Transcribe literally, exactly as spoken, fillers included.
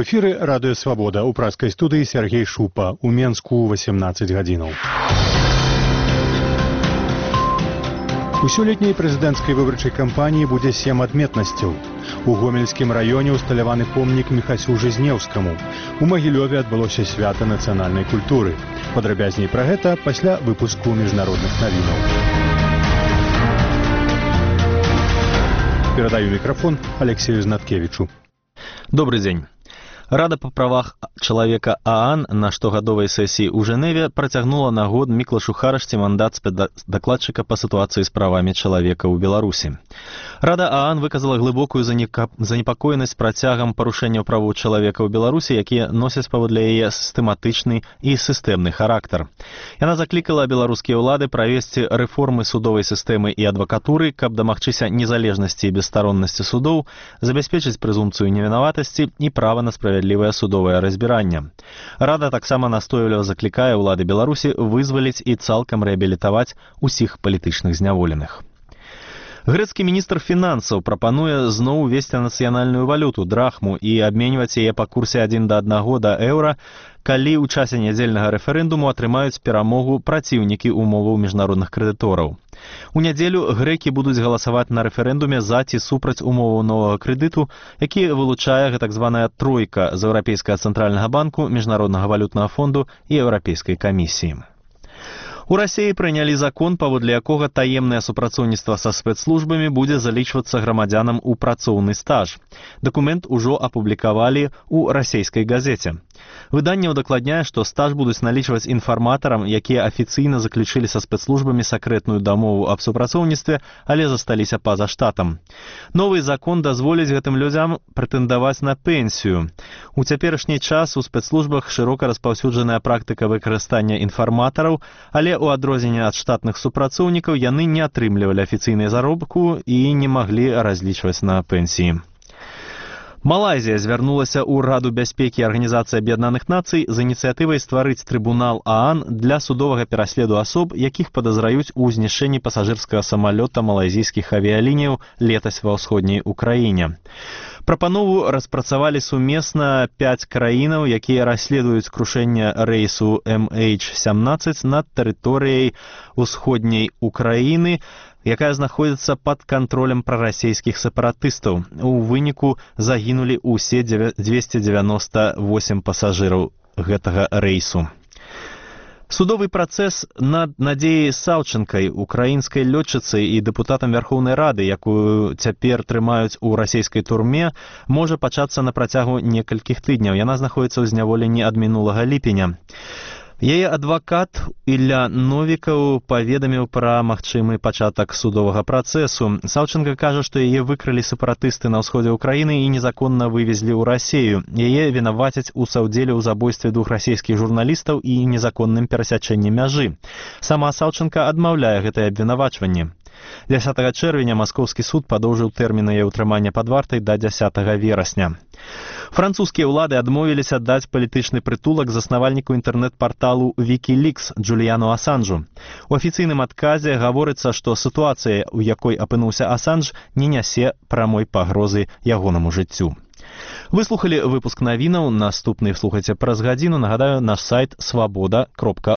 эфіры радыё Свабода, у праскай студыі Сергей Шупа, у Менску васемнаццаць гадзінаў. У сёлетняй прэзідэнцкай выбарчай кампаніі будзе сем адметнасцяў. У Гомельскім раёне ўсталяваны помнік Міхасю Жизнеўскаму. У Магілёве адбылося свята нацыянальнай культуры. Падрабязней пра гэта пасля выпуску міжнародных навінаў. Перадаю мікрафон Алексею Знаткевичу. Добрый день. Рада па правах чалавека ААН на штогадовай сесіі ў Жэневе працягнула на год Міклашу Харашці мандат дакладчыка па сітуацыі з правамі чалавека ў Беларусі. Рада ААН выказала глыбокую занепакоенасць працягам парушэнняў правоў чалавека ў Беларусі, якія носяць паводле яе сістэматычны і сістэмны характар. Яна заклікала беларускія ўлады правесці рэформы судовай сістэмы і адвакатуры, каб дамагчыся незалежнасці і бесстароннасці судоў, забяспечыць прэзумпцыю невінаватасці і права на справядлівасць справядлівае судовае разбіранне. Рада таксама настойліва заклікае ўлады Беларусі вызваліць і цалкам рэабілітаваць усіх палітычных зняволеных. Грэцкі міністр фінансаў прапануе зноў увесці нацыянальную валюту драхму і абменьваць яе па курсе адзін да аднаго да еўра, калі ў часе нядзельнага рэферэндуму атрымаюць перамогу праціўнікі умоваў міжнародных крэдытораў. У нядзелю грэкі будуць галасаваць на рэферэндуме за ці супраць умоваў новага крэдыту, які вылучае так званая тройка з Еўрапейскага цэнтральнага банку, Міжнароднага валютнага фонду і Еўрапейскай камісіі. У Расіі прынялі закон, паводле якога таемнае супрацоўніцтва са спецслужбамі будзе залічвацца грамадзянам у працоўны стаж. Дакумент ужо апублікавалі ў расійскай газеце. Выданне ўдакладняе, што стаж будуць налічваць інфарматарам, якія афіцыйна заключылі са спецслужбамі сакрэтную дамову аб супрацоўніцтве, але засталіся па-за штатам. Новы закон дазволіць гэтым людзям прэтэндаваць на пенсію. У цяперашні час у спецслужбах шырока распаўсюджаная практыка выкарыстання інфарматараў, але у адрозненне ад штатных супрацоўнікаў яны не атрымлівалі афіцыйнай заробку і не маглі разлічваць на пенсіі. Малайзія звярнулася ў Раду бяспекі Арганізацыі Аб'яднаных Нацый з ініцыятывай стварыць трыбунал ААН для судовага пераследу асоб, якіх падазраюць у знішчэнні пасажырскага самалёта малайзійскіх авіялініяў летась ва ўсходняй Украіне. Прапанову распрацавалі сумесна пяць краінаў, якія расследуюць крушэнне рэйсу эм эйч сямнаццаць над тэрыторыяй усходняй Украіны, якая знаходзіцца пад кантролем прарасійскіх сепаратыстаў. У выніку загінулі ўсе дзвесце дзевяноста восем пасажыраў гэтага рэйсу. Судовы працэс над Надзеяй Саўчэнкай, украінскай лётчыцай і дэпутатам Вярхоўнай Рады, якую цяпер трымаюць у расійскай турме, можа пачацца на працягу некалькіх тыдняў. Яна знаходзіцца ў зняволенні ад минулага ліпеня. Яе адвакат Ілля Новікаў паведаміў пра магчымы пачатак судовага працэсу. Саўчэнка кажа, што яе выкралі сепаратысты на ўсходзе ўкраіны і незаконна вывезлі ў Расію. Яе вінавацяць у саўдзеле ў забойстве двух расійскіх журналістаў і незаконным перасячэнні мяжы. Сама Саўчэнка адмаўляе гэтае абвінавачванне. дзясятага чэрвеня маскоўскі суд падоўжыў тэрмін яе ўтрымання пад вартай да дзясятага верасня. Французскія ўлады адмовіліся даць палітычны прытулак заснавальніку інтэрнэт-парталу Wikileaks Джуліяну Асанжу. У афіцыйным адказе гаворыцца, што сітуацыя, у якой апынуўся Асанж, не нясе прамой пагрозы ягонаму жыццю. Вы слухалі выпуск навінаў, наступны слухайце праз гадзіну. Нагадаю, наш сайт свабода кропка